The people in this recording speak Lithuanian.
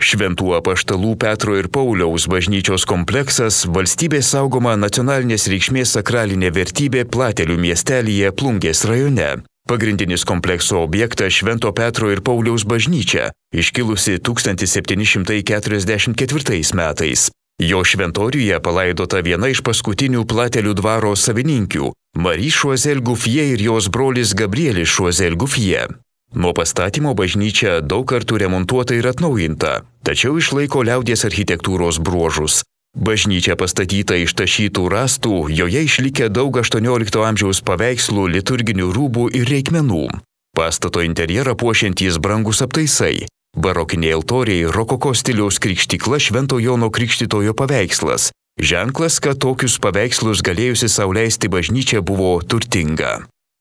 Šventų apaštalų Petro ir Pauliaus bažnyčios kompleksas valstybės saugoma nacionalinės reikšmės sakralinė vertybė Platelių miestelyje Plungės rajone. Pagrindinis komplekso objektas Švento Petro ir Pauliaus bažnyčia, iškilusi 1744 metais. Jo šventoriuje palaidota viena iš paskutinių Platelių dvaro savininkių – Marie Choiseul Gouffier ir jos brolis Gabrielis Choiseul Gouffier. Nuo pastatymo bažnyčia daug kartų remontuota ir atnaujinta, tačiau išlaiko liaudies architektūros bruožus. Bažnyčia pastatyta iš tašytų rąstų, joje išlikę daug 18 amžiaus paveikslų, liturginių rūbų ir reikmenų. Pastato interjerą puošiantys brangus aptaisai. Barokiniai altoriai, rokoko stiliaus krikštykla Švento Jono Krikštytojo paveikslas. Ženklas, kad tokius paveikslus galėjusi sau leisti bažnyčia buvo turtinga.